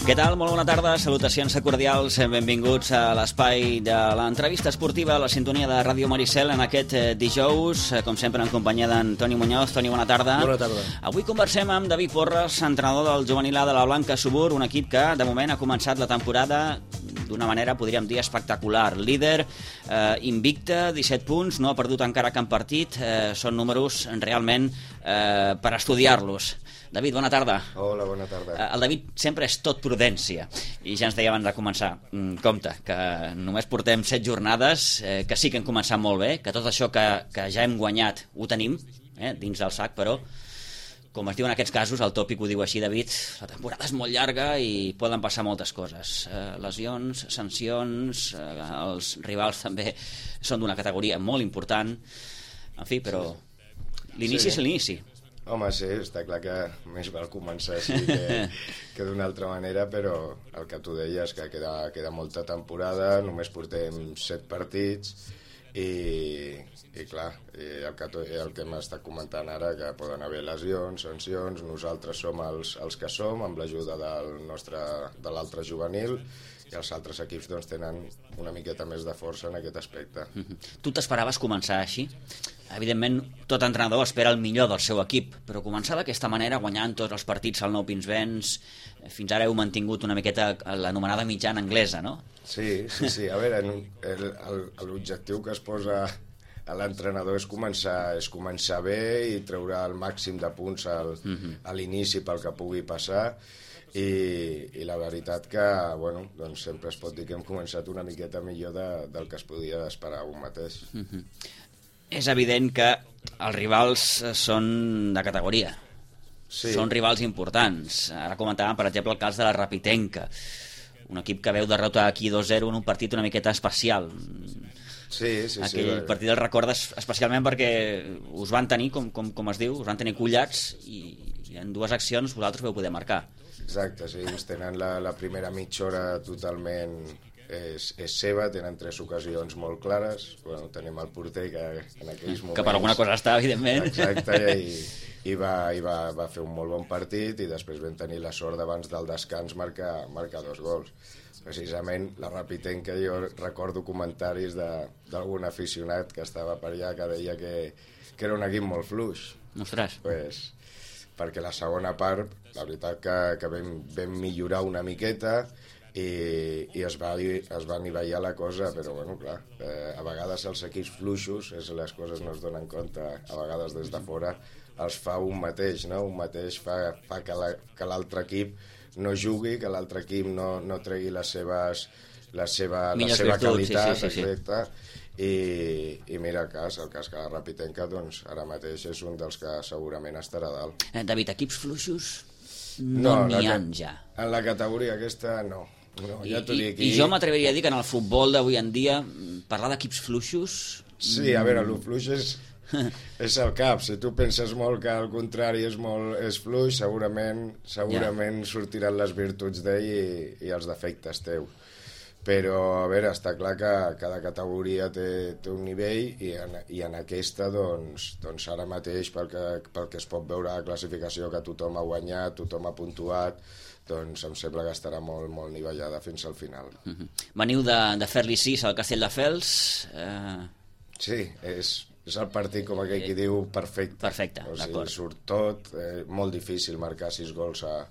Què tal? Molt bona tarda, salutacions cordials, benvinguts a l'espai de l'entrevista esportiva a la sintonia de Ràdio Maricel en aquest dijous, com sempre en companyia d'en Toni Muñoz. Toni, bona tarda. Bona tarda. Avui conversem amb David Porres, entrenador del juvenil A de la Blanca Subur, un equip que de moment ha començat la temporada d'una manera, podríem dir, espectacular. Líder, invicte, 17 punts, no ha perdut encara cap partit, són números realment per estudiar-los. David, bona tarda. Hola, bona tarda. El David sempre és tot prudència i ja ens deia abans de començar, compte, que només portem 7 jornades, que sí que hem començat molt bé, que tot això que ja hem guanyat ho tenim dins del sac, però com es diu en aquests casos, el tòpic ho diu així, David, la temporada és molt llarga i poden passar moltes coses. Lesions, sancions, els rivals també són d'una categoria molt important, en fi, però l'inici és l'inici. Home, sí, està clar que més val començar així que d'una altra manera, però el que tu deies, que queda molta temporada, només portem 7 partits i clar, el que hem estat comentant ara, que poden haver lesions, sancions, nosaltres som els que som, amb l'ajuda de l'altre juvenil, i els altres equips doncs, tenen una miqueta més de força en aquest aspecte. Tu t'esperaves començar així? Evidentment, tot entrenador espera el millor del seu equip, però començar d'aquesta manera, guanyant tots els partits al Nou Pinsbens, fins ara heu mantingut una miqueta l'anomenada mitjana anglesa, no? Sí. A veure, l'objectiu que es posa a l'entrenador és començar bé i treure el màxim de punts a l'inici pel que pugui passar, i la veritat que doncs sempre es pot dir que hem començat una miqueta millor del que es podia esperar un mateix. És evident que els rivals són de categoria. Sí. Són rivals importants. Ara comentàvem, per exemple, el cas de la Rapitenca, un equip que veu derrotar aquí 2-0 en un partit una miqueta especial. Sí. Aquell partit el recordes especialment perquè us van tenir, com es diu, us van tenir collats i en 2 accions vosaltres vau poder marcar. Exacte, sí, ens tenen la primera mitja hora totalment és seva, tenen 3 ocasions molt clares, tenim el porter que en aquells moments... Que per alguna cosa està, evidentment. Exacte, i va fer un molt bon partit, i després vam tenir la sort d'abans del descans marcar 2 gols. Precisament la Rapitenca, jo recordo comentaris d'algun aficionat que estava per allà que deia que era un equip molt fluix. Ostres. Perquè la segona part, la veritat que vam millorar una miqueta i es va anivellar la cosa, però clar, a vegades els equips fluixos, les coses no es donen compte, a vegades des de fora els fa un mateix, no? Un mateix fa que l'altre equip no jugui, que l'altre equip no tregui la seva qualitat, exacte. I mira el cas que la Rapitenca doncs, ara mateix és un dels que segurament estarà dalt. David, equips fluixos no n'hi ha ja. En la categoria aquesta no, ja t'ho dic. I jo m'atreviria a dir que en el futbol d'avui en dia parlar d'equips fluixos... Sí, a veure, el fluix és el cap. Si tu penses molt que al contrari és fluix, segurament sortiran les virtuts d'ell i els defectes teus. Però, a veure, està clar que cada categoria té un nivell i en aquesta, doncs ara mateix, pel que es pot veure a la classificació, que tothom ha guanyat, tothom ha puntuat, doncs em sembla que estarà molt, molt nivellada fins al final. Veniu de fer-li 6 al Castelldefels. Sí, és el partit, com aquell qui diu, perfecte. Perfecte, d'acord. Surt tot, molt difícil marcar 6 gols a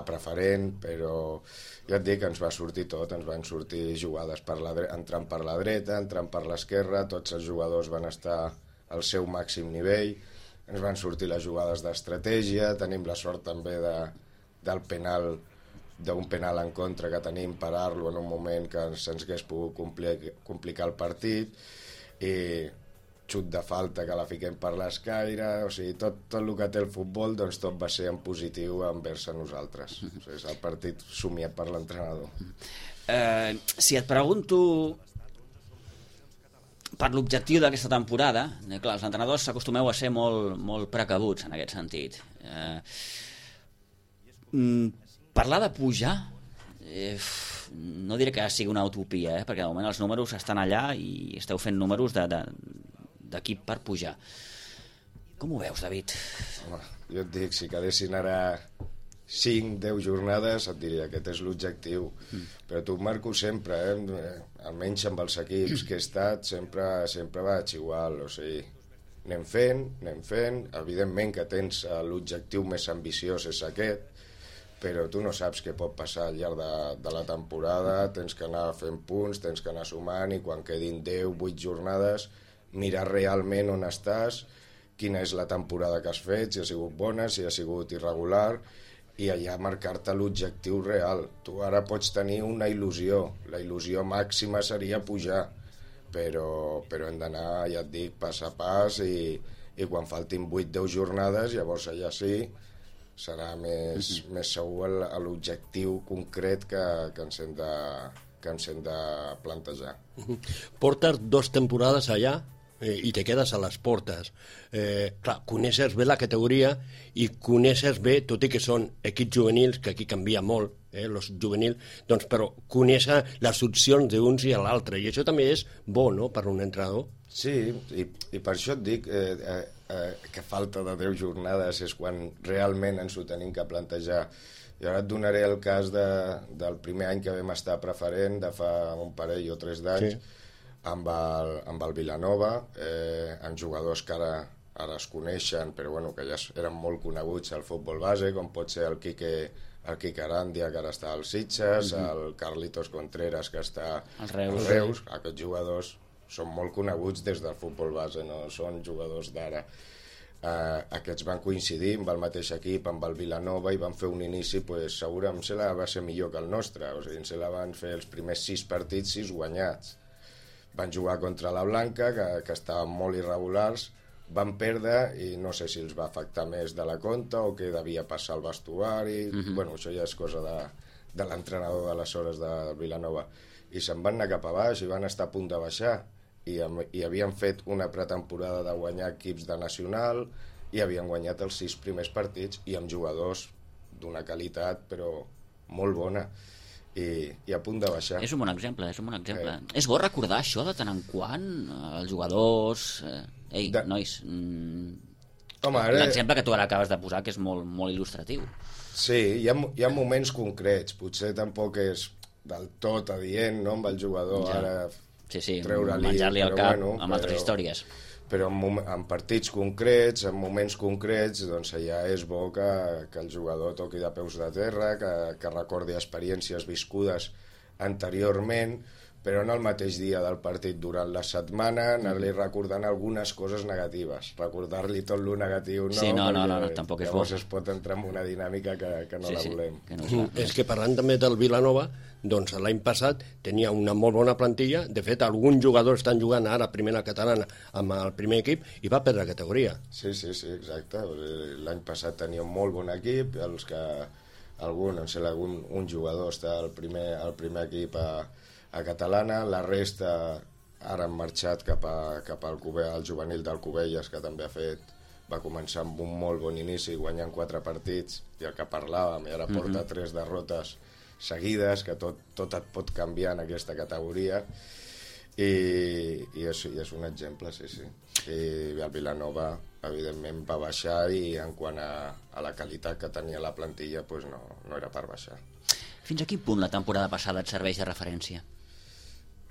preferent, però ja et dic que ens va sortir tot, ens van sortir jugades entrant per la dreta, entrant per l'esquerra, tots els jugadors van estar al seu màxim nivell, ens van sortir les jugades d'estratègia, tenim la sort també d'un penal en contra que tenim, parar-lo en un moment que se'ns hagués pogut complicar el partit, i xut de falta que la fiquem per l'escaire, o sigui, tot el que té el futbol, doncs tot va ser en positiu envers a nosaltres. O sigui, és el partit somiat per l'entrenador. Si et pregunto per l'objectiu d'aquesta temporada, clar, els entrenadors s'acostumeu a ser molt, molt precabuts en aquest sentit. Parlar de pujar, no diré que sigui una utopia, perquè de moment els números estan allà i esteu fent números d'equip per pujar. Com ho veus, David? Home, jo et dic, si quedessin ara 5-10 jornades et diria aquest és l'objectiu, però t'ho marco sempre, almenys amb els equips que he estat sempre vaig igual, o sigui, anem fent, evidentment que tens l'objectiu més ambiciós és aquest, però tu no saps què pot passar al llarg de la temporada, tens que anar fent punts, tens que anar sumant, i quan quedin 10-8 jornades mirar realment on estàs, quina és la temporada que has fet, si ha sigut bona, si ha sigut irregular, i allà marcar-te l'objectiu real. Tu ara pots tenir una il·lusió, la il·lusió màxima seria pujar, però hem d'anar, ja et dic, pas a pas, i quan faltin 8-10 jornades, llavors allà sí serà més segur l'objectiu concret que ens hem de plantejar. Portes 2 temporades allà i te quedes a les portes. Clar, coneixes bé la categoria i coneixes bé, tot i que són equips juvenils, que aquí canvia molt, els juvenils, doncs, però conèixer les opcions d'uns i l'altre, i això també és bo, no?, per un entrenador. Sí, i per això et dic que falta de 10 jornades és quan realment ens ho tenim que plantejar. I ara et donaré el cas del primer any que vam estar preferent, de fa un parell o 3 d'anys, sí, amb el Vilanova, amb jugadors que ara es coneixen, però bueno, que ja eren molt coneguts al futbol base, com pot ser el Quique Arandia, que ara està al Sitges, el Carlitos Contreras, que està als Reus. Aquests jugadors són molt coneguts des del futbol base, no són jugadors d'ara. Aquests van coincidir amb el mateix equip, amb el Vilanova, i van fer un inici, pues, segurament va ser millor que el nostre, o sigui, se la van fer els primers 6 partits, 6 guanyats. Van jugar contra la Blanca, que estaven molt irregulars, van perdre, i no sé si els va afectar més de la compta o què devia passar al vestuari. Bueno, això ja és cosa de l'entrenador d'aleshores de Vilanova. I se'n van anar cap a baix i van estar a punt de baixar. I havien fet una pretemporada de guanyar equips de nacional i havien guanyat els 6 primers partits i amb jugadors d'una qualitat però molt bona. I a punt de baixar. És un bon exemple. És bo recordar això de tant en quant, els jugadors... nois, l'exemple que tu ara acabes de posar, que és molt, molt il·lustratiu. Sí, hi ha moments concrets, potser tampoc és del tot adient, no?, amb el jugador ja. Ara treure-li... menjar-li el cap amb altres històries. Però en partits concrets, en moments concrets, doncs allà és bo que el jugador toqui de peus de terra, que recordi experiències viscudes anteriorment, però no el mateix dia del partit, durant la setmana, anar-li recordant algunes coses negatives. Recordar-li tot lo negatiu, no? Sí, no, tampoc és bo. Llavors es pot entrar en una dinàmica que no la volem. Que no és que parlant també del Vilanova, doncs l'any passat tenia una molt bona plantilla, de fet alguns jugadors estan jugant ara a primera catalana amb el primer equip i va perdre categoria. Sí, exacte. L'any passat tenia un molt bon equip, els que un jugador està al primer equip a catalana, la resta ara han marxat cap al juvenil del Cubelles, que també va començar amb un molt bon inici, guanyant 4 partits, i el que parlàvem, i ara porta 3 derrotes seguides, que tot et pot canviar en aquesta categoria, i és un exemple, sí. I el Vilanova, evidentment, va baixar, i en quant a la qualitat que tenia la plantilla, pues no era per baixar. Fins a quin punt la temporada passada et serveix de referència?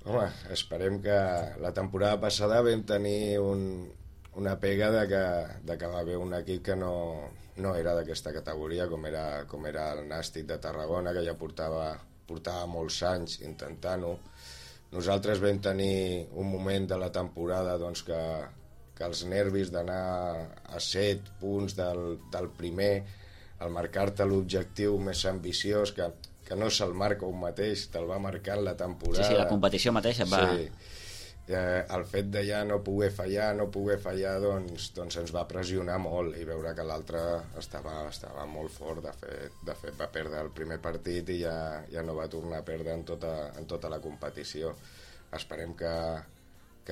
Home, esperem que la temporada passada vam tenir una pega de que va haver un equip que no era d'aquesta categoria, com era el Nàstic de Tarragona, que ja portava molts anys intentant-ho. Nosaltres vam tenir un moment de la temporada doncs, que els nervis d'anar a 7 punts del primer, al marcar-te l'objectiu més ambiciós, que no se'l marca un mateix, te'l va marcar la temporada. Sí, la competició mateixa va... Sí. El fet de ja no poder fallar, doncs ens va pressionar molt, i veure que l'altre estava molt fort. De fet va perdre el primer partit i ja no va tornar a perdre en tota la competició. Esperem que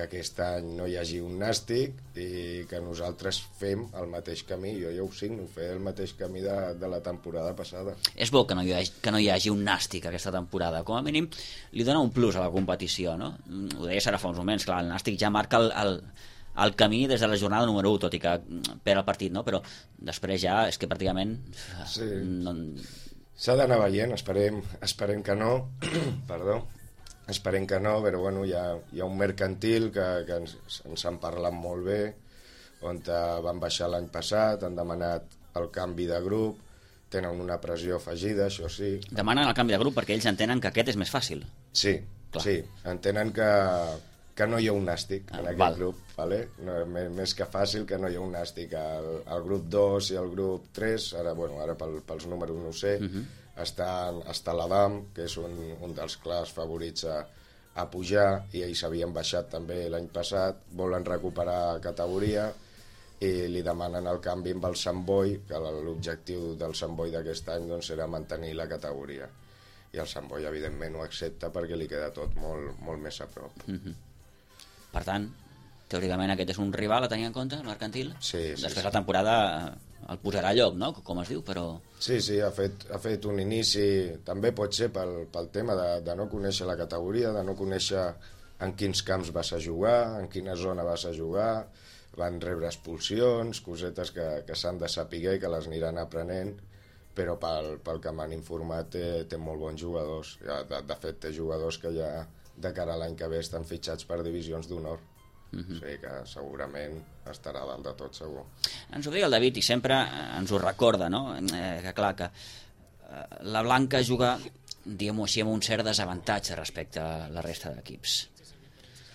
aquest any no hi hagi un Nàstic i que nosaltres fem el mateix camí. Jo ja ho signo, fer el mateix camí de la temporada passada. És bo que no hi hagi un Nàstic aquesta temporada. Com a mínim li dona un plus a la competició, no? Ho deies ara fa uns moments, clar, el Nàstic ja marca el camí des de la jornada número 1, tot i que perd el partit, no? Però després ja és que pràcticament... Sí. No... S'ha d'anar veient, esperem que no, perdó, esperem que no, però bueno, hi ha un mercantil que ens han parlat molt bé, on van baixar l'any passat, han demanat el canvi de grup, tenen una pressió afegida, això sí. Demanen el canvi de grup perquè ells entenen que aquest és més fàcil. Sí, clar. Sí, entenen que no hi ha un nàstic en aquest grup, ¿vale? No, més que fàcil que no hi ha un nàstic. El grup 2 i el grup 3, ara pels números no ho sé, està l'Adam, que és un dels clars favorits a pujar, i ells havien baixat també l'any passat, volen recuperar categoria, i li demanen el canvi amb el Sant Boi, que l'objectiu del Sant Boi d'aquest any doncs, era mantenir la categoria. I el Sant Boi, evidentment, ho accepta perquè li queda tot molt, molt més a prop. Per tant, teòricament aquest és un rival a tenir en compte, el mercantil? Sí. Després la temporada el posarà a lloc, no?, com es diu, però... Sí, ha fet un inici, també pot ser pel tema de no conèixer la categoria, de no conèixer en quins camps vas a jugar, en quina zona vas a jugar, van rebre expulsions, cosetes que s'han de saber, que les aniran aprenent, però pel que m'han informat té molt bons jugadors. De fet, té jugadors que ja de cara a l'any que ve estan fitxats per divisions d'honor. O sigui que segurament estarà dalt de tot, segur. Ens ho deia el David i sempre ens ho recorda, no? Que clar, que la Blanca juga, diguem-ho així, amb un cert desavantatge respecte a la resta d'equips.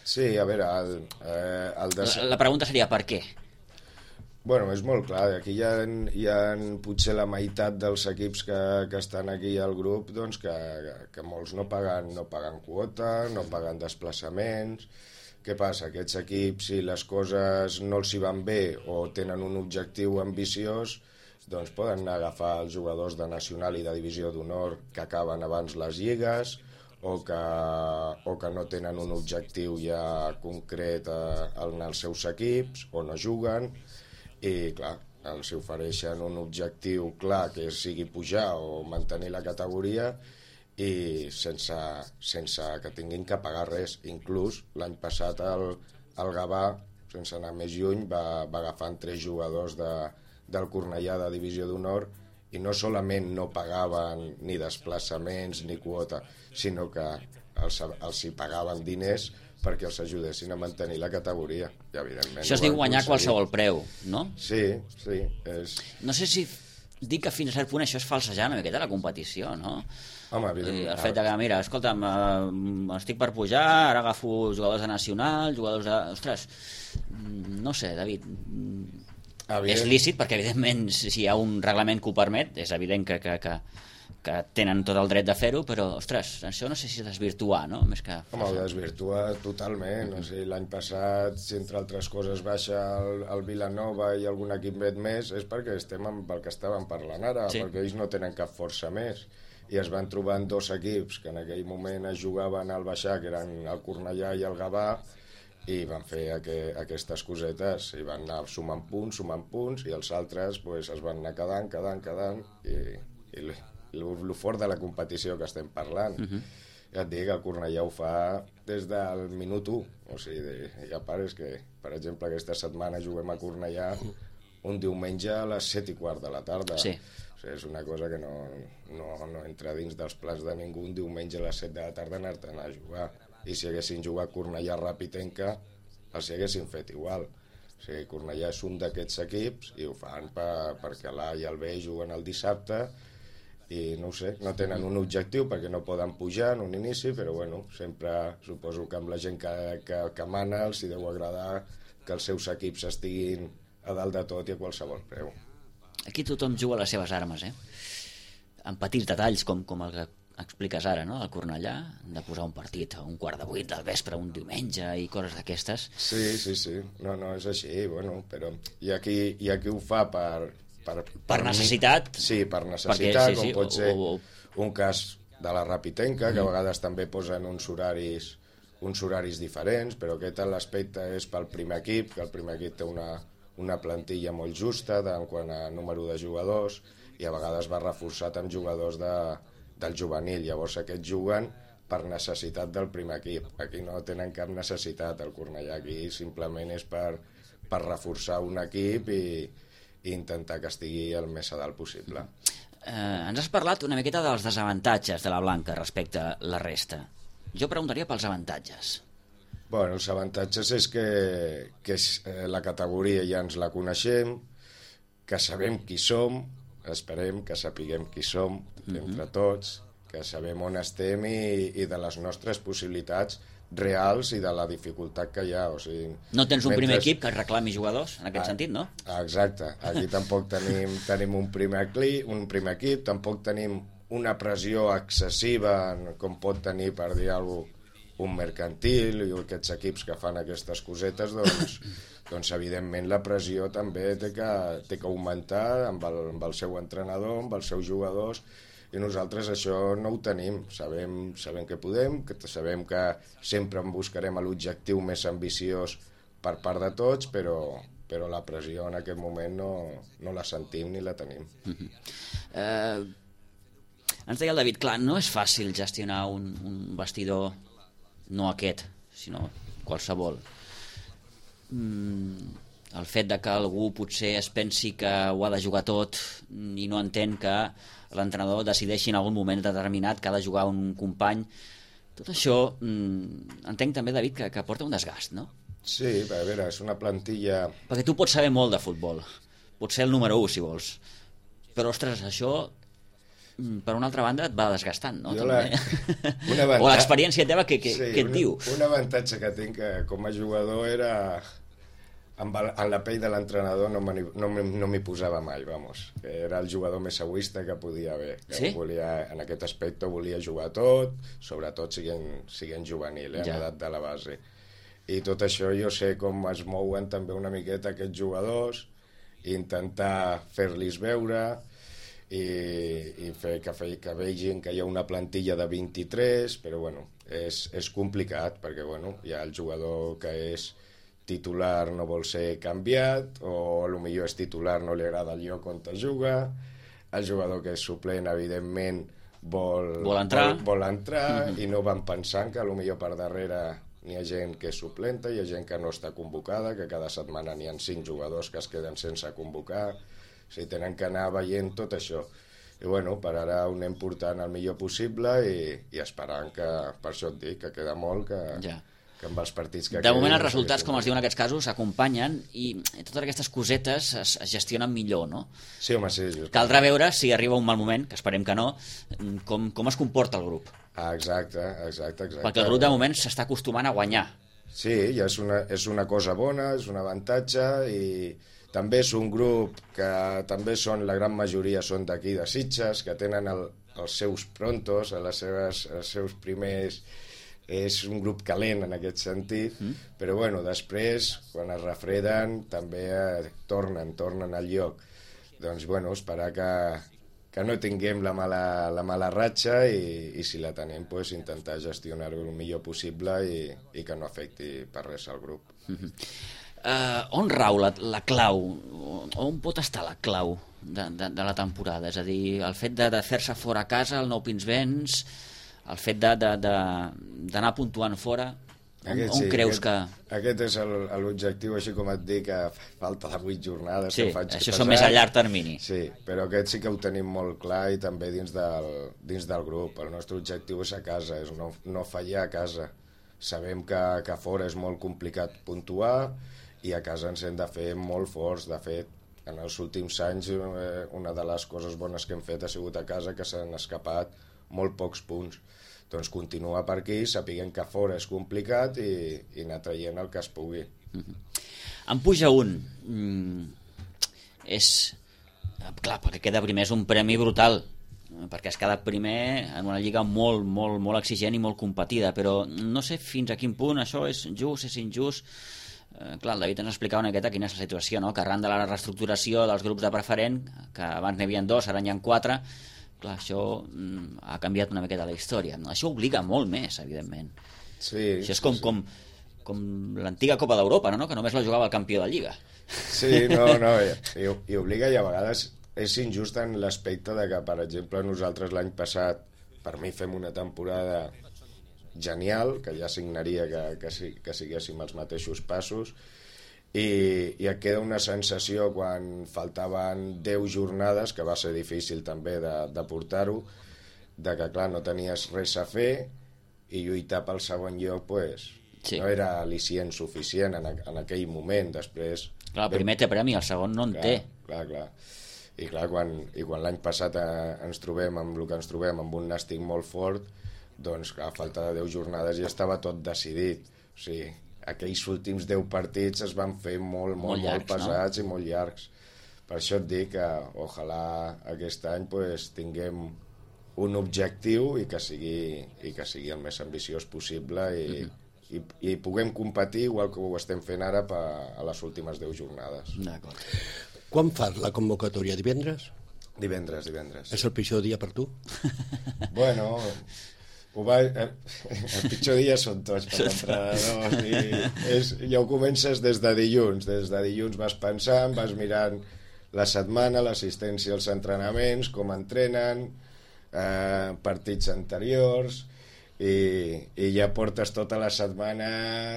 Sí, a veure... La pregunta seria per què? Bueno, és molt clar, aquí hi ha potser la meitat dels equips que estan aquí al grup, doncs que molts no paguen quota, no paguen desplaçaments. Què passa? Aquests equips, si les coses no els hi van bé o tenen un objectiu ambiciós, doncs poden anar a agafar els jugadors de Nacional i de Divisió d'Honor que acaben abans les lligues, o que no tenen un objectiu ja concret en els seus equips, o no juguen, i clar, els ofereixen un objectiu clar que sigui pujar o mantenir la categoria, i sense que tinguin que pagar res. Inclús l'any passat el Gavà, sense anar més lluny, va agafant 3 jugadors del Cornellà de Divisió d'Honor, i no solament no pagaven ni desplaçaments ni quota, sinó que els hi pagaven diners perquè els ajudessin a mantenir la categoria. I, evidentment, això es diu guanyar qualsevol preu, no? Sí. No sé si dir que fins a cert punt això és falsejar una miqueta la competició, no? Home, evidentment. El fet que, mira, escolta'm, estic per pujar, ara agafo jugadors de Nacional, jugadors de... Ostres, no sé, David... És lícit, perquè evidentment si hi ha un reglament que ho permet, és evident que tenen tot el dret de fer-ho, però, ostres, això no sé si desvirtuar, no? Més que... Home, ho desvirtua totalment. O sigui, l'any passat, si entre altres coses baixa el Vilanova i algun equip més, és perquè estem amb el que estàvem parlant ara, perquè ells no tenen cap força més. I es van trobant 2 equips que en aquell moment es jugaven al baixar, que eren el Cornellà i el Gavà, i van fer aquestes cosetes, i van anar sumant punts, i els altres es van anar quedant, i el fort de la competició que estem parlant. Ja et dic que el Cornellà ho fa des del minut 1, o sigui, hi ha pares que, per exemple, aquesta setmana juguem a Cornellà un diumenge a les 7:15 de la tarda. Sí. O sigui, és una cosa que no entra dins dels plans de ningú un diumenge a les 7 de la tarda anar-te'n a jugar. I si haguessin jugat Cornellà Rapitenca, els hi haguessin fet igual. O sigui, Cornellà és un d'aquests equips i ho fan perquè l'A i el B juguen el dissabte i no ho sé, no tenen un objectiu perquè no poden pujar en un inici, però bueno, sempre suposo que amb la gent que mana els hi deu agradar que els seus equips estiguin a dalt de tot i a qualsevol preu. Aquí tothom juga les seves armes, amb petits detalls com el que expliques ara, no?, al Cornellà, de posar un partit a 7:15 del vespre, un diumenge i coses d'aquestes. Sí. No, és així, bueno, però hi ha qui ho fa per necessitat. Sí, per necessitat, com pot ser un cas de la Rapitenca, que a vegades també posen uns horaris diferents, però aquest l'aspecte és pel primer equip, que el primer equip té una plantilla molt justa en quant a número de jugadors, i a vegades va reforçat amb jugadors del juvenil. Llavors aquests juguen per necessitat del primer equip. Aquí no tenen cap necessitat, el Cornellà aquí simplement és per reforçar un equip i intentar que estigui el més a dalt possible. Ens has parlat una miqueta dels desavantatges de la Blanca respecte a la resta. Jo preguntaria pels avantatges. Bueno, els avantatges és que la categoria ja ens la coneixem, que sabem qui som, esperem que sapiguem qui som entre tots, que sabem on estem i de les nostres possibilitats reals i de la dificultat que hi ha. O sigui, no tens un primer equip que reclami jugadors, en aquest sentit, no? Exacte. Aquí tampoc tenim un primer equip, tampoc tenim una pressió excessiva com pot tenir, per dir alguna cosa, un mercantil i aquests equips que fan aquestes cosetes, doncs evidentment la pressió també té que augmentar amb el seu entrenador, amb els seus jugadors, i nosaltres això no ho tenim. Sabem que podem, que sabem que sempre en buscarem l'objectiu més ambiciós per part de tots, però la pressió en aquest moment no la sentim ni la tenim. Ens deia el David, clar, no és fàcil gestionar un vestidor, no aquest, sinó qualsevol. El fet de que algú potser es pensi que ho ha de jugar tot i no entén que l'entrenador decideixi en algun moment determinat que ha de jugar un company, tot això entenc també, David, que porta un desgast, no? Sí, a veure, és una plantilla... Perquè tu pots saber molt de futbol, pots ser el número 1 si vols, però ostres, això per una altra banda et va desgastant, no? O l'experiència teva, què et diu? Un avantatge que tinc com a jugador era en la pell de l'entrenador no m'hi posava mai, vamos. Era el jugador més egoista que podia haver. Sí? En aquest aspecte volia jugar tot, sobretot siguent juvenil, en edat de la base. I tot això jo sé com es mouen també una miqueta aquests jugadors, intentar fer-los veure i fer que vegin que hi ha una plantilla de 23, però bueno, és complicat perquè bueno, hi ha el jugador que és titular no vol ser canviat, o potser és titular, no li agrada el lloc on juga, el jugador que és suplent evidentment vol entrar i no van pensant que potser per darrere n'hi ha gent que és suplenta, hi ha gent que no està convocada, que cada setmana n'hi ha 5 jugadors que es queden sense convocar. O sigui, tenen que anar veient tot això. I bueno, per ara ho anem portant el millor possible i esperant que, per això et dic, que queda molt, que amb els partits que de moment els resultats, com es diu en aquests casos, s'acompanyen i totes aquestes cosetes es gestionen millor, no? Sí, home, sí. Caldrà veure si arriba un mal moment, que esperem que no, com es comporta el grup. Exacte. Perquè el grup de moment s'està acostumant a guanyar. Sí, ja és una cosa bona, és un avantatge i també és un grup que també la gran majoria són d'aquí de Sitges, que tenen els seus prontos, els seus primers... És un grup calent en aquest sentit, però bueno, després, quan es refreden, també tornen al lloc. Doncs bueno, esperar que no tinguem la mala ratxa i si la tenim, pues, intentar gestionar-ho el millor possible i que no afecti per res al grup. On rau la clau? On pot estar la clau de la temporada? És a dir, el fet de fer-se fora a casa, el Nou Pinsbens, el fet d'anar puntuant fora, on creus que... Aquest és l'objectiu, així com et dic, que falta de 8 jornades. Sí, això són més a llarg termini. Sí, però aquest sí que ho tenim molt clar i també dins del grup. El nostre objectiu és a casa, és no fallar a casa. Sabem que a fora és molt complicat puntuar i a casa ens hem de fer molt forts. De fet, en els últims anys una de les coses bones que hem fet ha sigut a casa, que s'han escapat molt pocs punts. Doncs continuar per aquí, sapiguem que fora és complicat i anar traient el que es pugui. En puja un. És... Clar, perquè queda primer és un premi brutal, perquè has quedat primer en una lliga molt, molt, molt exigent i molt competida, però no sé fins a quin punt això és just, és injust. Clar, el David ens explicava una miqueta quina és la situació, no? Que arran de la reestructuració dels grups de preferent, que abans n'hi havia 2, ara n'hi ha 4, clar, això ha canviat una miqueta la història. Això obliga molt més, evidentment. Sí, això és com l'antiga Copa d'Europa, no? Que només la jugava el campió de Lliga. Sí, no, i obliga, i a vegades és injust en l'aspecte de que, per exemple, nosaltres l'any passat, per mi fem una temporada genial, que ja signaria que siguéssim els mateixos passos, i et queda una sensació quan faltaven 10 jornades, que va ser difícil també de portar-ho, de que clar, no tenies res a fer i lluitar pel segon lloc pues, no era al·licient suficient en aquell moment. Després clar, el primer té premi, el segon no en té. Clar. I clar, quan l'any passat ens trobem amb el que ens trobem, amb un Nàstic molt fort, doncs a falta de 10 jornades ja estava tot decidit. O sigui, aquells últims 10 partits es van fer molt llargs, molt pesats, no? I molt llargs. Per això et dic que ojalà aquest any pues, tinguem un objectiu i que sigui el més ambiciós possible i puguem competir igual que ho estem fent ara a les últimes 10 jornades. D'acord. Quan fas la convocatòria? Divendres? Divendres. És el pitjor dia per tu? Bueno, el pitjor dia són tots per l'entrenador. Ja ho comences des de dilluns. Des de dilluns vas pensant, vas mirant la setmana, l'assistència als entrenaments, com entrenen, partits anteriors, i ja portes tota la setmana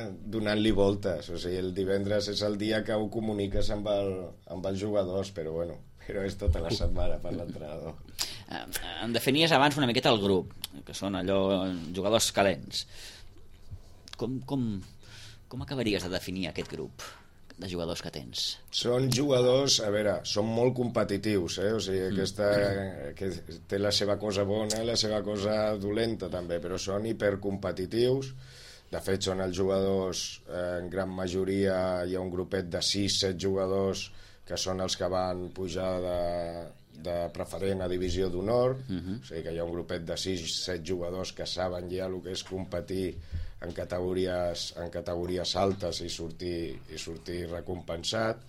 donant-li voltes. O sigui, el divendres és el dia que ho comuniques amb els jugadors, però és tota la setmana per l'entrenador. Em definies abans una miqueta el grup, que són allò jugadors calents. Com acabaries de definir aquest grup de jugadors que tens? Són jugadors, a veure, són molt competitius, o sigui, aquesta que té la seva cosa bona i la seva cosa dolenta també, però són hipercompetitius. De fet, són els jugadors, en gran majoria hi ha un grupet de 6-7 jugadors que són els que van pujar de preferent a divisió d'honor, o sigui que hi ha un grupet de 6-7 jugadors que saben ja el que és competir en categories altes i sortir recompensat,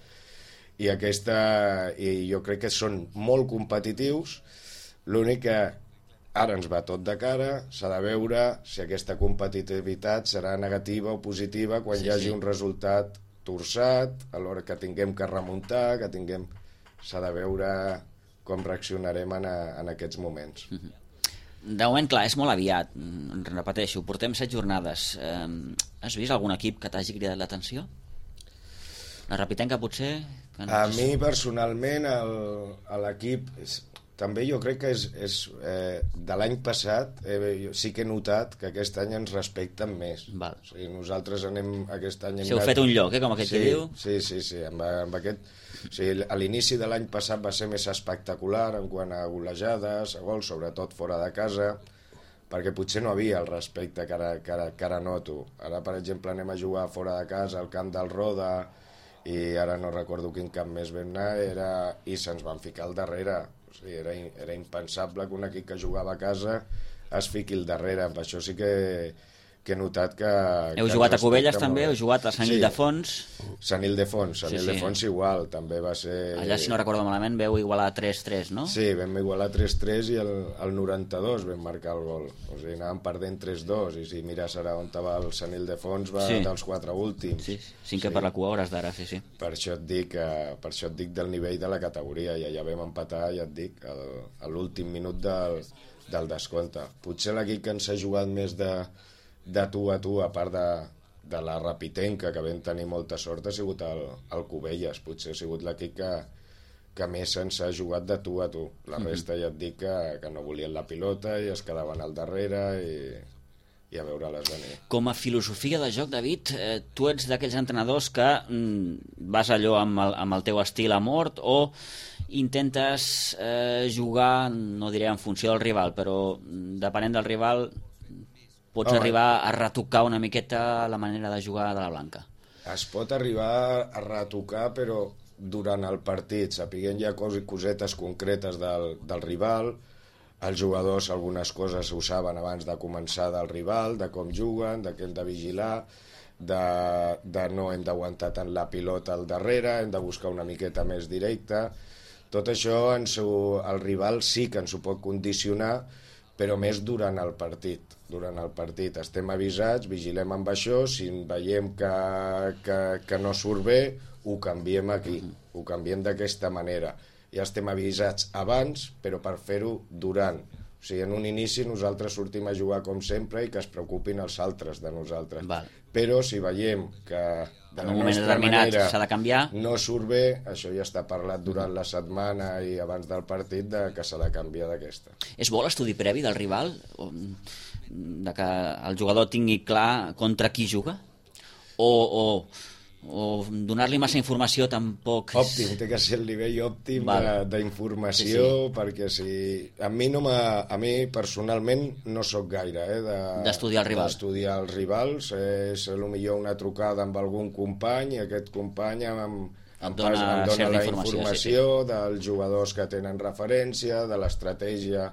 i jo crec que són molt competitius. L'únic que ara ens va tot de cara, s'ha de veure si aquesta competitivitat serà negativa o positiva quan hi hagi un resultat torçat, a l'hora que tinguem que remuntar, s'ha de veure com reaccionarem en aquests moments. De moment, clar, és molt aviat, repeteixo, portem 7 jornades. Has vist algun equip que t'hagi cridat l'atenció? La Rapitenca, potser? A mi, personalment, l'equip... També jo crec que és de l'any passat, sí que he notat que aquest any ens respecten més. Val. O sigui, nosaltres aquest any... Si heu fet un lloc, com aquest que diu? Sí, amb aquest... O sigui, a l'inici de l'any passat va ser més espectacular en quant a golejades, a gols, sobretot fora de casa, perquè potser no havia el respecte que ara noto. Ara, per exemple, anem a jugar fora de casa al camp del Roda, i ara no recordo quin camp més vam anar, i se'ns van ficar al darrere. O sigui, era impensable que un equip que jugava a casa es fiqui al darrere. Amb això sí que he notat que... Heu jugat a Cubelles també? Heu jugat a Sant Ildefons? Sant Ildefons igual, també va ser... Allà, si no recordo malament, veu igualar 3-3, no? Sí, vam igualar 3-3 i al 92 vam marcar el gol. O sigui, anàvem perdent 3-2, i si mires ara on va el Sant Ildefons, va dels 4 últims. Sí, 5 per la cua hores d'ara, sí. Per això et dic del nivell de la categoria, i allà vam empatar, ja et dic, a l'últim minut del descompte. Potser l'equip que ens ha jugat més de tu a tu, a part de la Rapitenca, que vam tenir molta sort, ha sigut el Cubelles. Potser ha sigut l'equip que més ens ha jugat de tu a tu. La resta ja et dic que no volien la pilota i es quedaven al darrere i a veure-les venir. Com a filosofia de joc, David, tu ets d'aquells entrenadors que vas allò amb el teu estil a mort, o intentes jugar, no diré en funció del rival, però depenent del rival pots arribar a retocar una miqueta la manera de jugar de la Blanca? Es pot arribar a retocar, però durant el partit, sapiguent ja cosetes concretes del rival. Els jugadors algunes coses ho saben abans de començar del rival, de com juguen, de què hem de vigilar, de no hem d'aguantar tant la pilota al darrere, hem de buscar una miqueta més directa. Tot això el rival sí que ens ho pot condicionar, però més durant el partit. Durant el partit estem avisats, vigilem amb això, si veiem que no surt bé, ho canviem aquí, ho canviem d'aquesta manera. Ja estem avisats abans, però per fer-ho durant. O O sigui, en un inici nosaltres sortim a jugar com sempre i que es preocupin els altres de nosaltres. Val. Però si veiem que de En la un moment nostra determinat manera s'ha de canviar. no surt bé, això ja està parlat durant la setmana i abans del partit que s'ha de canviar d'aquesta. És bo l'estudi previ del rival? De que el jugador tingui clar contra qui juga? O donar-li massa informació tampoc... Òptim, té que ser el nivell òptim d'informació, Sí. perquè si... A mi personalment no sóc gaire D'estudiar el rival. D'estudiar els rivals, és potser una trucada amb algun company i aquest company em dona la informació dels jugadors que tenen referència, de l'estratègia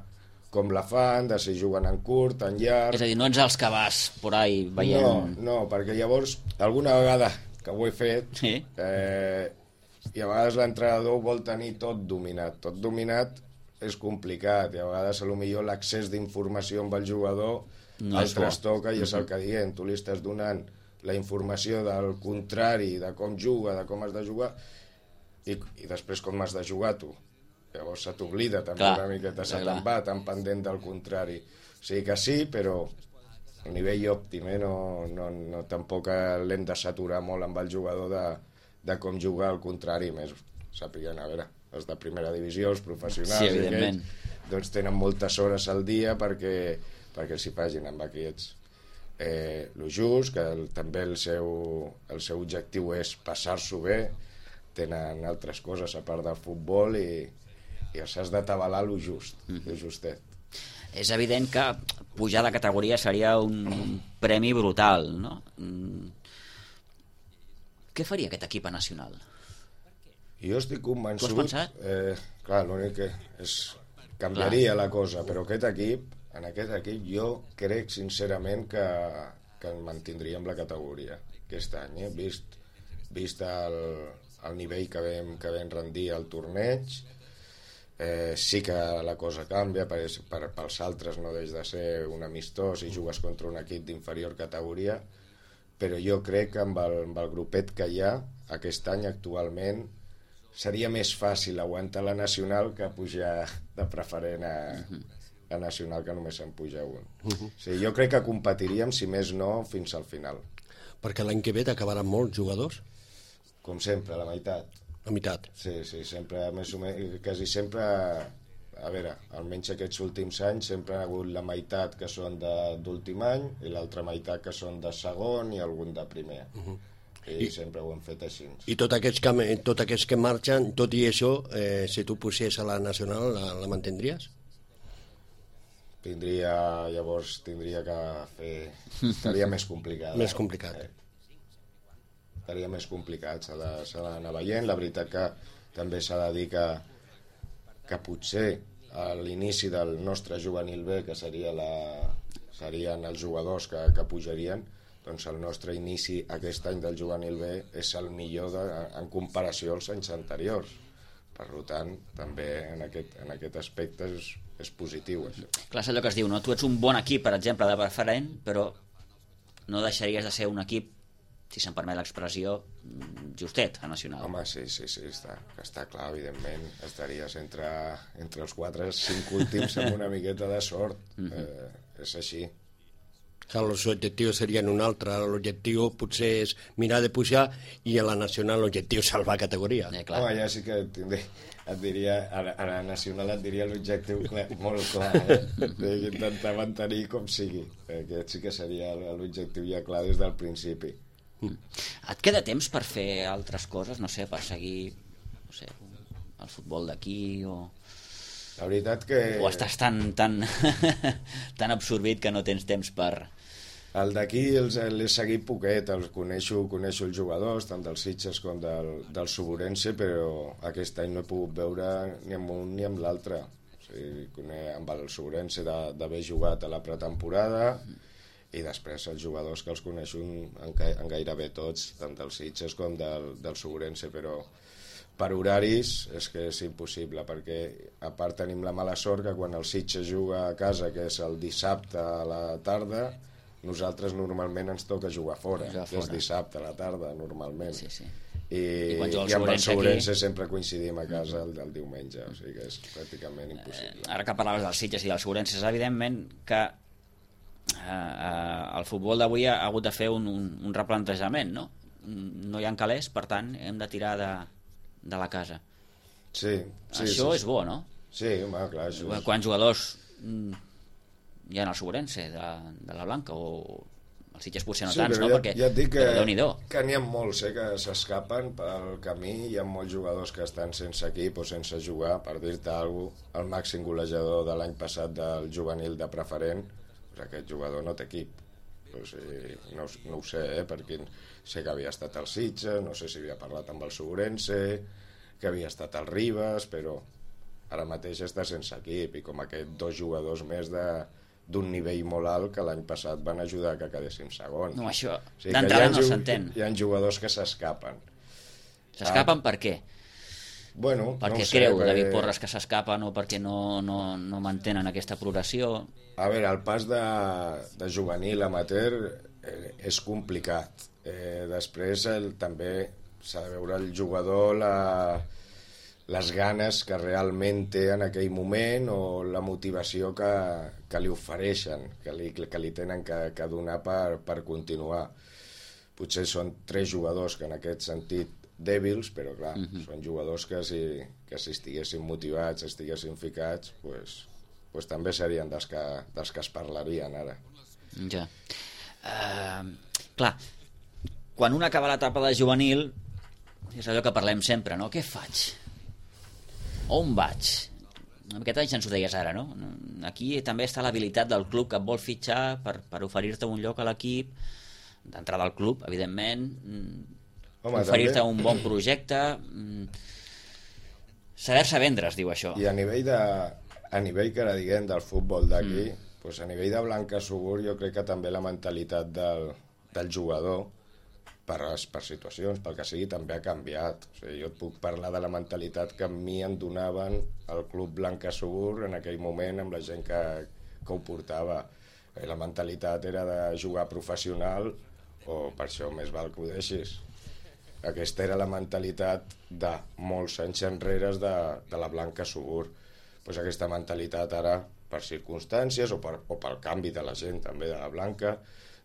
com la fan, de si juguen en curt, en llarg... És a dir, no ets els que vas por ahí veient... No, perquè llavors, alguna vegada que ho he fet, Sí. i a vegades l'entrenador vol tenir tot dominat. Tot dominat és complicat, i a vegades potser l'accés d'informació amb el jugador el trastoca i és el que diem. Tu li estàs donant la informació del contrari, de com juga, de com has de jugar, i després com has de jugar tu. Llavors se t'oblida també una miqueta, se te'n va tan pendent del contrari. O sigui que sí, però a nivell òptim, no, tampoc l'hem de saturar molt amb el jugador de com jugar, al contrari, més sàpiguen, a veure, els de primera divisió, els professionals, sí, evidentment. Doncs tenen moltes hores al dia perquè s'hi facin amb aquests. Lo just, que també el seu objectiu és passar-s'ho bé, tenen altres coses a part del futbol i s'has d'atabalar lo just, lo justet. És evident que pujar de categoria seria un premi brutal, no? Què faria aquest equip nacional? Jo estic convençut... Tu has pensat? Clar, l'únic que canviaria la cosa, però en aquest equip jo crec sincerament que mantindríem la categoria aquest any, vist el nivell que vam rendir al torneig. Sí que la cosa canvia, pels altres no deix de ser un amistós i jugues contra un equip d'inferior categoria, però jo crec que amb el grupet que hi ha aquest any actualment seria més fàcil aguantar la nacional que pujar de preferent a nacional, que només se'n puja un. Jo crec que competiríem, si més no, fins al final. Perquè l'any que ve t'acabaran molts jugadors? Com sempre, la meitat. La meitat. Sí, sempre, més o menys, quasi sempre, a veure, almenys aquests últims anys, sempre ha hagut la meitat que són d'últim any i l'altra meitat que són de segon i algun de primer. I sempre ho hem fet així. I tots aquests que marxen, tot i això, si tu pusies a la nacional, la mantindries? Llavors tindria que fer... Estaria més complicat. Més complicat. Estaria més complicat, s'ha d'anar veient. La veritat que també s'ha de dir que potser a l'inici del nostre juvenil B, que serien els jugadors que pujarien, doncs el nostre inici aquest any del juvenil B és el millor en comparació als anys anteriors. Per tant, també en aquest aspecte és positiu, això. Clar, és allò que es diu, no? Tu ets un bon equip, per exemple, de preferent, però no deixaries de ser un equip, si se'n permet l'expressió, justet a nacional. Home, sí, està clar, evidentment. Estaries entre els 4 o 5 últims amb una miqueta de sort. És així. Clar, els objectius serien un altre. L'objectiu potser és mirar de pujar i a la nacional l'objectiu és salvar categoria. Home, ja sí que et diria, a la nacional et diria l'objectiu molt clar, d'intentar mantenir com sigui. Aquest sí que seria l'objectiu ja clar des del principi. Et queda temps per fer altres coses? No sé, per seguir el futbol d'aquí o... La veritat que... O estàs tan absorbit que no tens temps per... El d'aquí l'he seguit poquet, coneixo els jugadors, tant dels Sitges com del Suburense, però aquest any no he pogut veure ni amb un ni amb l'altre. O sigui, amb el Suburense d'haver jugat a la pretemporada i després els jugadors que els coneixo en gairebé tots, tant dels Sitges com del Suburense, però per horaris és que és impossible, perquè a part tenim la mala sort que quan el Sitges juga a casa, que és el dissabte a la tarda, nosaltres normalment ens toca jugar fora, que és dissabte a la tarda, normalment. Sí. i quan juga el amb el Segurense Segurense sempre coincidim a casa el diumenge, o sigui que és pràcticament impossible. Ara que parlaves dels Sitges i dels Segurenses, evidentment que el futbol d'avui ha hagut de fer un replantejament, no? No hi ha calés, per tant hem de tirar de la casa. Sí, Això és bo, no? Sí, home, clar, això és... Quants jugadors hi ha al Segurense de la Blanca, o els Sitges potser no tants, no? Perquè ja et dic però Déu-n'hi-do. que n'hi ha molts que s'escapen pel camí, hi ha molts jugadors que estan sense equip o sense jugar. Per dir-te alguna cosa, el màxim golejador de l'any passat del juvenil de preferent, doncs aquest jugador no té equip. O sigui, no ho sé, perquè sé que havia estat al Sitges, no sé si havia parlat amb el Segurense, que havia estat al Ribes, però ara mateix està sense equip, i com aquests 2 jugadors més d'un nivell molt alt que l'any passat van ajudar que quedéssim segons. No, això O sigui, d'entrada no s'entén. Hi ha jugadors que s'escapen. S'escapen per què? Bueno, Perquè no ho sé, creu David Porres que s'escapen, o perquè no mantenen aquesta progressió? A veure, el pas de juvenil a amateur és complicat. Després també s'ha de veure el jugador les ganes que realment té en aquell moment, o la motivació que li ofereixen, que li tenen que donar per continuar. Potser són 3 jugadors que en aquest sentit dèbils, però clar, són jugadors que si estiguessin motivats, estiguessin ficats, pues també serien dels que es parlarien ara. Ja. Clar, quan un acaba l'etapa de juvenil, és allò que parlem sempre, no? Què faig? On vaig? Aquest any ens ho deies ara, no? Aquí també està l'habilitat del club que et vol fitxar per oferir-te un lloc a l'equip, d'entrada al club, evidentment, oferir-te un bon projecte, saber-se vendre, es diu això. I a nivell que ara diguem del futbol d'aquí, doncs a nivell de Blanca Subur, jo crec que també la mentalitat del jugador per situacions, pel que sigui, també ha canviat. O sigui, jo et puc parlar de la mentalitat que a mi em donaven el club Blanca Subur en aquell moment, amb la gent que ho portava. La mentalitat era de jugar professional, o per això més val que ho deixis. Aquesta era la mentalitat de molts anys enrere de la Blanca Subur. Pues aquesta mentalitat ara, per circumstàncies o pel canvi de la gent també de la Blanca,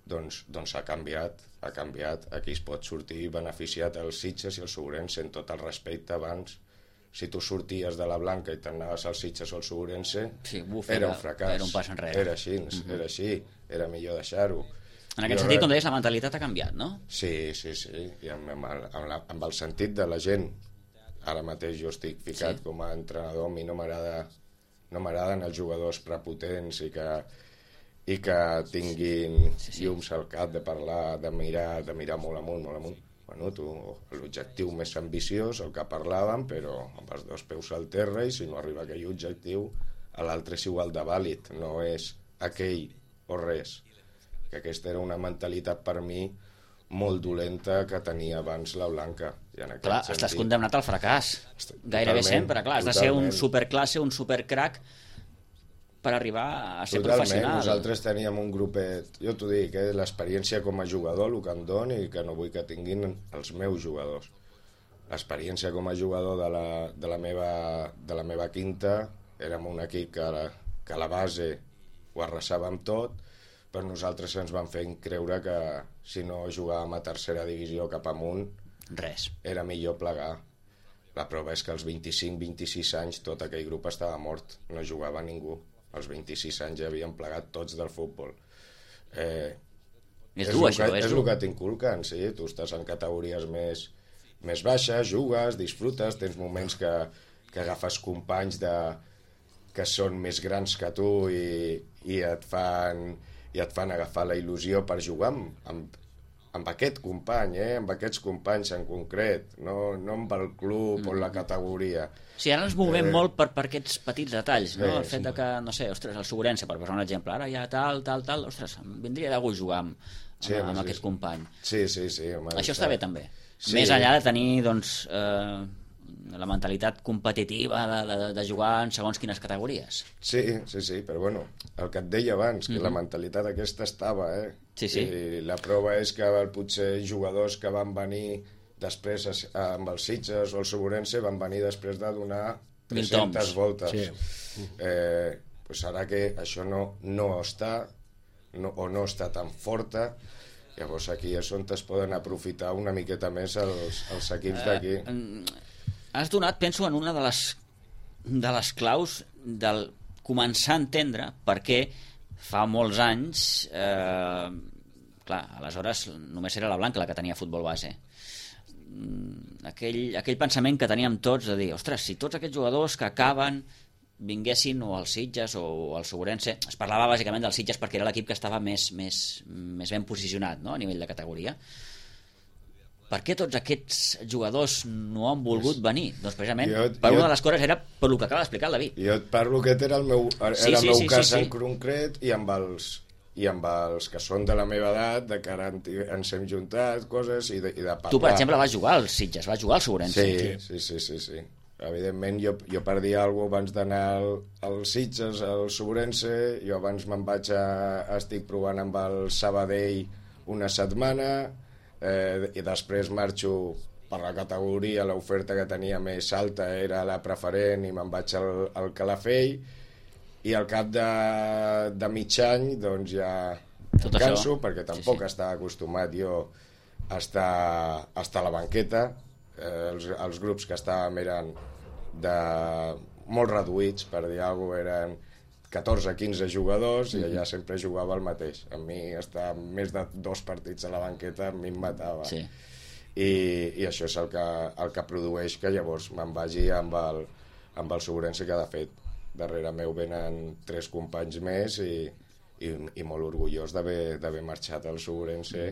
doncs ha canviat. Aquí es pot sortir beneficiat els Sitges i el Segurense, en tot el respecte. Abans, si tu sorties de la Blanca i t'anaves als Sitges o al Segurense, era un fracàs. Era un pas enrere. Era així, era millor deixar-ho. En aquest sentit, com deies, la mentalitat ha canviat, no? Sí, i amb el sentit de la gent. Ara mateix jo estic ficat com a entrenador, a mi no m'agraden els jugadors prepotents i que tinguin llums al cap de parlar, de mirar molt amunt. Bueno, l'objectiu més ambiciós, el que parlàvem, però amb els 2 peus al terra, i si no arriba a aquell objectiu, a l'altre és igual de vàlid, no és aquell o res. Que aquesta era una mentalitat per mi molt dolenta que tenia abans la Blanca. Clar, estàs condemnat al fracàs. Gairebé sempre, clar. Has de ser un superclasse, un supercrac per arribar a ser professional. Nosaltres teníem un grupet, jo t'ho dic, l'experiència com a jugador, el que em doni i que no vull que tinguin els meus jugadors. L'experiència com a jugador de la meva quinta, érem un equip que a la base ho arrasàvem tot, però nosaltres ens van fer creure que si no jugàvem a tercera divisió cap amunt, res. Era millor plegar. La prova és que als 25-26 anys tot aquell grup estava mort, no jugava ningú. Als 26 anys ja havien plegat tots del futbol. És dur, això. És el que t'inculquen, sí. Tu estàs en categories més baixes, jugues, disfrutes, tens moments que agafes companys que són més grans que tu i et fan agafar la il·lusió per jugar amb aquest company, amb aquests companys en concret, no amb el club o la categoria. Sí, ara ens movem molt per aquests petits detalls, no? El fet de que, no sé, ostres, el Segurense, per posar un exemple, ara hi ha tal, ostres, em vindria de gust jugar amb aquest company. Sí. Això està bé, també. Més enllà de tenir, doncs, la mentalitat competitiva de jugar en segons quines categories. Sí, però bueno, el que et deia abans, que la mentalitat aquesta estava, Sí. I la prova és que potser jugadors que van venir després amb els Sitges o el Segurense van venir després de donar 1000 300 toms. voltes. Sí. Pues ara que això no està, o no està tan forta, llavors aquí és on es poden aprofitar una miqueta més els equips d'aquí. Has donat, penso, en una de les claus del començar a entendre per què fa molts anys clar, aleshores només era la Blanca la que tenia futbol base. Aquell pensament que teníem tots de dir, ostres, si tots aquests jugadors que acaben vinguessin o als Sitges o al Segurense, es parlava bàsicament dels Sitges perquè era l'equip que estava més ben posicionat, no?, a nivell de categoria. Per què tots aquests jugadors no han volgut venir? Doncs precisament una de les coses era per el que acaba d'explicar el David. Jo et parlo que era el meu cas en concret i amb els que són de la meva edat, de que ara ens hem juntat, coses, i de parlar. Tu, per exemple, vas jugar als Sitges, vas jugar al Segurense. Sí. Evidentment, jo per dir alguna cosa abans d'anar als Sitges, al Segurense, jo abans estic provant amb el Sabadell una setmana, i després marxo per la categoria, l'oferta que tenia més alta era la preferent i me'n vaig al Calafell, i al cap de mig any doncs ja em canso, perquè tampoc estava acostumat jo a estar a la banqueta. Els grups que estàvem eren molt reduïts, per dir alguna cosa, eren 14-15 jugadors, i allà sempre jugava el mateix. A mi estar més de 2 partits a la banqueta a mi em matava. Sí. I això és el que produeix que llavors me'n vagi amb el Segurense, que de fet darrere meu venen 3 companys més, i molt orgullós d'haver marxat al Segurense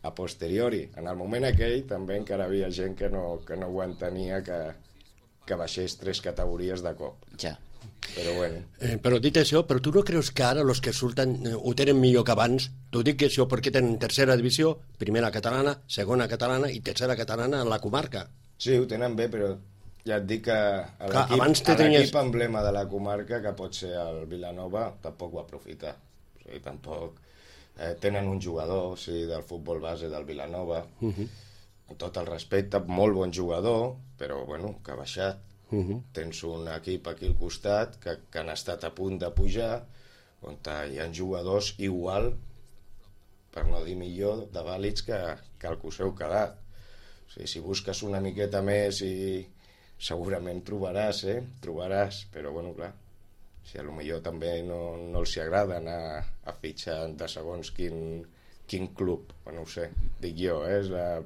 a posteriori. En el moment aquell també encara havia gent que no ho entenia, que baixés 3 categories de cop. Ja. Però bueno. Però dit això, però tu no creus que ara els que surten ho tenen millor que abans? T'ho dic això perquè tenen tercera divisió, primera catalana, segona catalana i tercera catalana en la comarca. Sí, ho tenen bé, però ja et dic que l'equip emblema de la comarca, que pot ser el Vilanova, tampoc ho aprofita. O sigui, tampoc tenen un jugador, sí, del futbol base del Vilanova, amb tot el respecte, molt bon jugador, però bueno, que ha baixat. Tens un equip aquí al costat que han estat a punt de pujar, on hi ha jugadors igual, per no dir millor, de vàlids que el que us heu quedat. O sigui, si busques una miqueta més segurament trobaràs, però bueno, clar, si potser també no els agrada anar a fitxar de segons quin club, no ho sé, dic jo,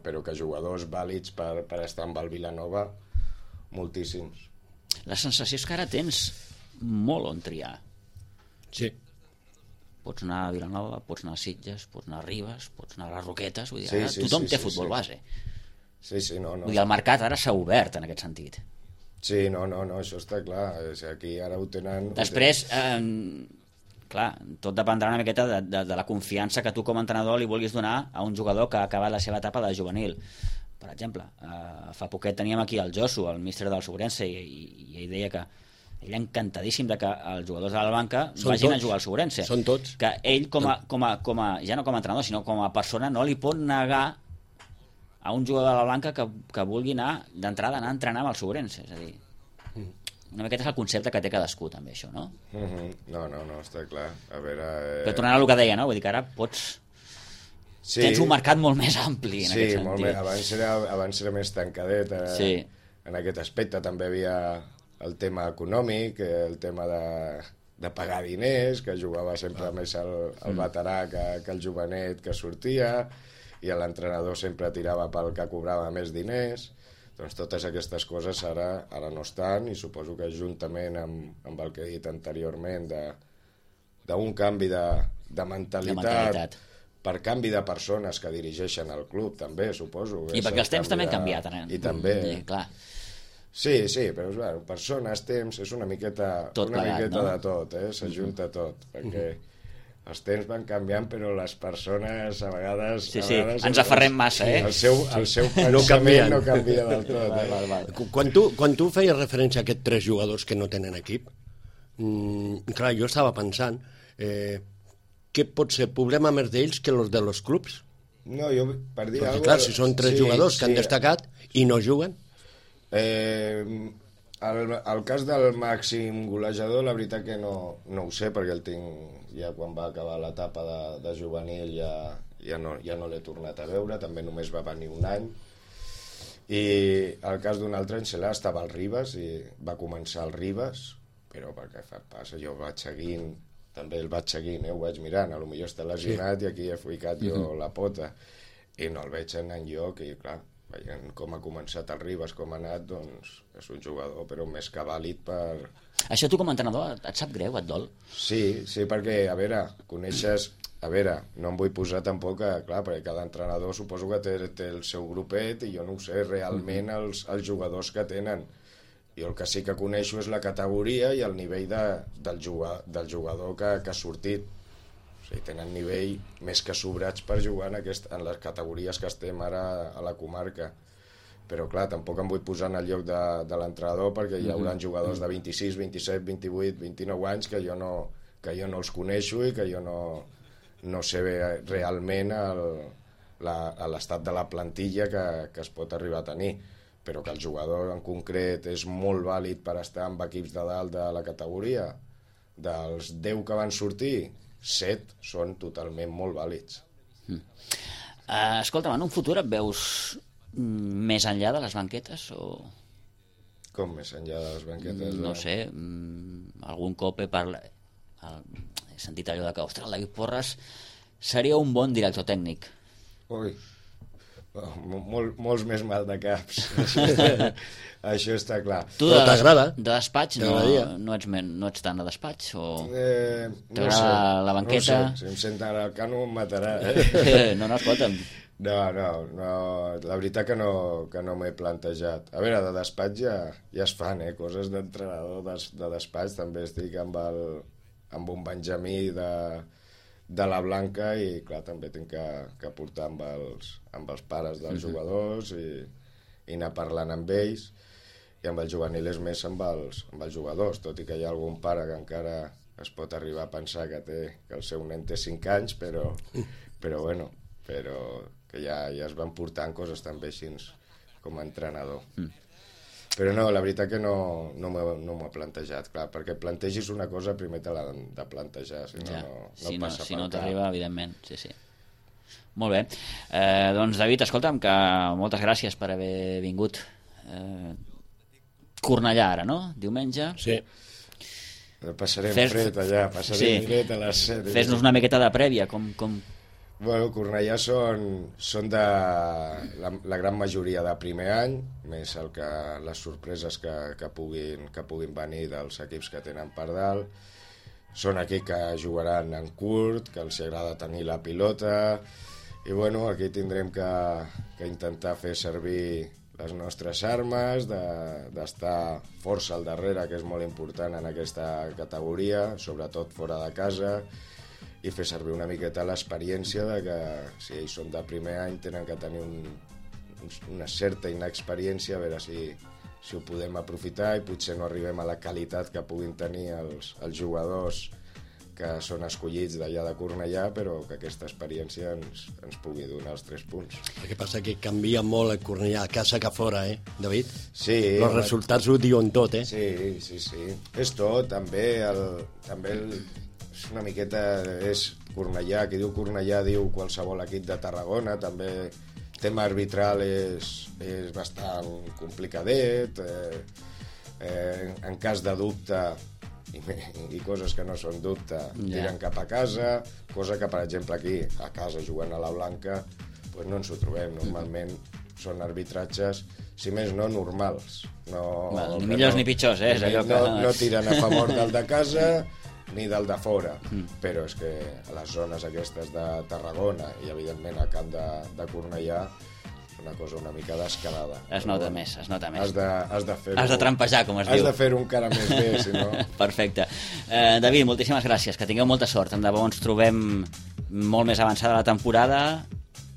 però que jugadors vàlids per estar amb el Vilanova, moltíssims. La sensació és que ara tens molt on triar. Sí. Pots anar a Vilanova, pots anar a Sitges, pots anar a Ribes, pots anar a les Roquetes, vull dir, ara tothom té futbol base. Sí, no. Vull dir, el mercat ara s'ha obert en aquest sentit. Sí, no, això està clar. Aquí ara ho tenen... Després, clar, tot dependrà una miqueta de la confiança que tu com a entrenador li vulguis donar a un jugador que ha acabat la seva etapa de juvenil. Per exemple, fa poquet teníem aquí el Josu, el míster del Segurense, i ell deia que ell encantadíssim de que els jugadors de la banca vagin a jugar al Segurense. Són tots. Que ell, ja no com a entrenador, sinó com a persona, no li pot negar a un jugador de la banca que vulgui anar d'entrada a entrenar amb el Segurense. És a dir, una miqueta és el concepte que té cadascú, també, això, no? No, està clar. A veure... Però tornant al que deia, no? Vull dir que ara pots... Sí. Tens un mercat molt més ampli en aquest sentit. Molt més. Abans era més tancadet. En aquest aspecte també havia el tema econòmic, el tema de pagar diners, que jugava sempre més el veterà que el jovenet que sortia, i l'entrenador sempre tirava pel que cobrava més diners. Doncs totes aquestes coses ara no estan, i suposo que juntament amb el que he dit anteriorment d'un canvi de mentalitat, per canvi de persones que dirigeixen el club, també, suposo. I perquè els temps també han canviat. I també. Clar. Sí, però bueno, persones, temps, és una miqueta de tot, s'ajunta tot, perquè els temps van canviant, però les persones a vegades... Sí, ens aferrem massa, El seu pensament no canvia del tot. Quan tu feies referència a aquests 3 jugadors que no tenen equip, clar, jo estava pensant... què pot ser problema més d'ells que els de los clubs? No, jo, per dir Perquè, alguna clar, si són 3 jugadors que han destacat i no juguen... El cas del màxim golejador, la veritat que no ho sé, perquè el tinc ja quan va acabar l'etapa de juvenil, ja no l'he tornat a veure, també només va venir un any. I el cas d'un altre Encelà estava al Ribes, i va començar al Ribes, però perquè passa, jo vaig seguint, també el vaig seguint, ho vaig mirant, potser està lesionat i aquí he ficat jo la pota, i no el veig en enlloc, i clar, veient com ha començat el Ribes, com ha anat, doncs és un jugador però més que vàlid per... Això tu com a entrenador et sap greu, et dol? Sí, perquè, a veure, coneixes... A veure, no em vull posar tampoc clar, perquè cada entrenador suposo que té el seu grupet i jo no ho sé realment els jugadors que tenen. Jo el que sí que coneixo és la categoria i el nivell del jugador que ha sortit. O sigui, tenen nivell més que sobrats per jugar en les categories que estem ara a la comarca. Però clar, tampoc em vull posar en el lloc de l'entrenador, perquè hi haurà jugadors de 26, 27, 28, 29 anys que jo no els coneixo i que jo no sé realment l'estat de la plantilla que es pot arribar a tenir, però que el jugador en concret és molt vàlid per estar amb equips de dalt de la categoria. Dels 10 que van sortir, 7 són totalment molt vàlids. Escolta'm, en un futur et veus més enllà de les banquetes o... Com més enllà de les banquetes? No sé, algun cop he sentit allò que, ostres, el David Porras seria un bon director tècnic. Ui, molts més mal de caps. Això està clar. Tu però t'agrada? De despatx no ets tant de despatx? O T'agrada la banqueta? No sé, si em senten al cano em matarà. No, escolta'm. No, la veritat que no m'he plantejat. A veure, de despatx ja es fan, coses d'entrenador de despatx. També estic amb un Benjamí de la Blanca i clar, també tinc que portar amb els pares dels jugadors i anar parlant amb ells, i amb el juvenil és més amb els jugadors, tot i que hi ha algun pare que encara es pot arribar a pensar que el seu nen té 5 anys, però bueno, que ja es van portant coses també així com a entrenador. Però no, la veritat que no m'ho he plantejat, clar, perquè plantegis una cosa primer te l'han de plantejar, si no passa si no t'arriba, evidentment, sí. Molt bé, doncs David, escolta'm, que moltes gràcies per haver vingut. Cornellà ara, no? Diumenge? Sí. Passarem fred allà, fred a les 7. Fes-nos una miqueta de prèvia, com... Bueno, Cornellà són de la gran majoria de primer any, més les sorpreses que puguin venir dels equips que tenen per dalt. Són equips que jugaran en curt, que els agrada tenir la pilota, i bueno, aquí tindrem que intentar fer servir les nostres armes, d'estar força al darrere, que és molt important en aquesta categoria, sobretot fora de casa, i fer servir una miqueta l'experiència de que si ells són de primer any tenen que tenir una certa inexperiència, a veure si ho podem aprofitar i potser no arribem a la qualitat que puguin tenir els jugadors que són escollits d'allà de Cornellà, però que aquesta experiència ens pugui donar els 3 punts. El que passa que canvia molt el Cornellà a casa que fora, David? Sí. Els resultats ho diuen tot, Sí. És tot, també és una miqueta, és Cornellà, qui diu Cornellà diu qualsevol equip de Tarragona, també el tema arbitral és bastant complicadet, en cas de dubte i coses que no són dubte tiren cap a casa, cosa que per exemple aquí a casa jugant a la Blanca pues no ens ho trobem, normalment són arbitratges, si més no, normals, ni millors ni pitjors, no tiren a favor del de casa ni del de fora, però és que a les zones aquestes de Tarragona i evidentment al camp de Cornellà una cosa una mica descarada. Es nota més. Has de fer-ho. Has de trampejar, com es diu. Has de fer-ho encara més bé, si no... Perfecte. David, moltíssimes gràcies, que tingueu molta sort. Tant de bo ens trobem molt més avançada la temporada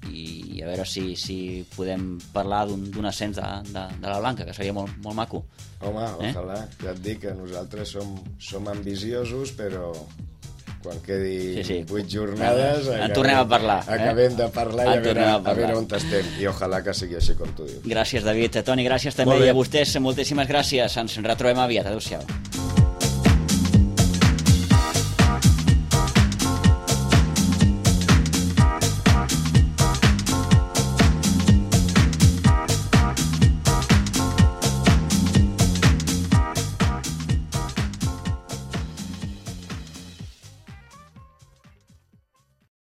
i a veure si podem parlar d'un ascens de la Blanca, que seria molt, molt maco. Home, ojalà. Ja et dic que nosaltres som ambiciosos, però quan quedi Sí. 8 jornades... En tornem a parlar. Acabem de parlar i a veure on estem. I ojalà que sigui així com tu dius. Gràcies, David. Toni, gràcies també. I a vostès, moltíssimes gràcies. Ens retrobem aviat. Adéu-siau.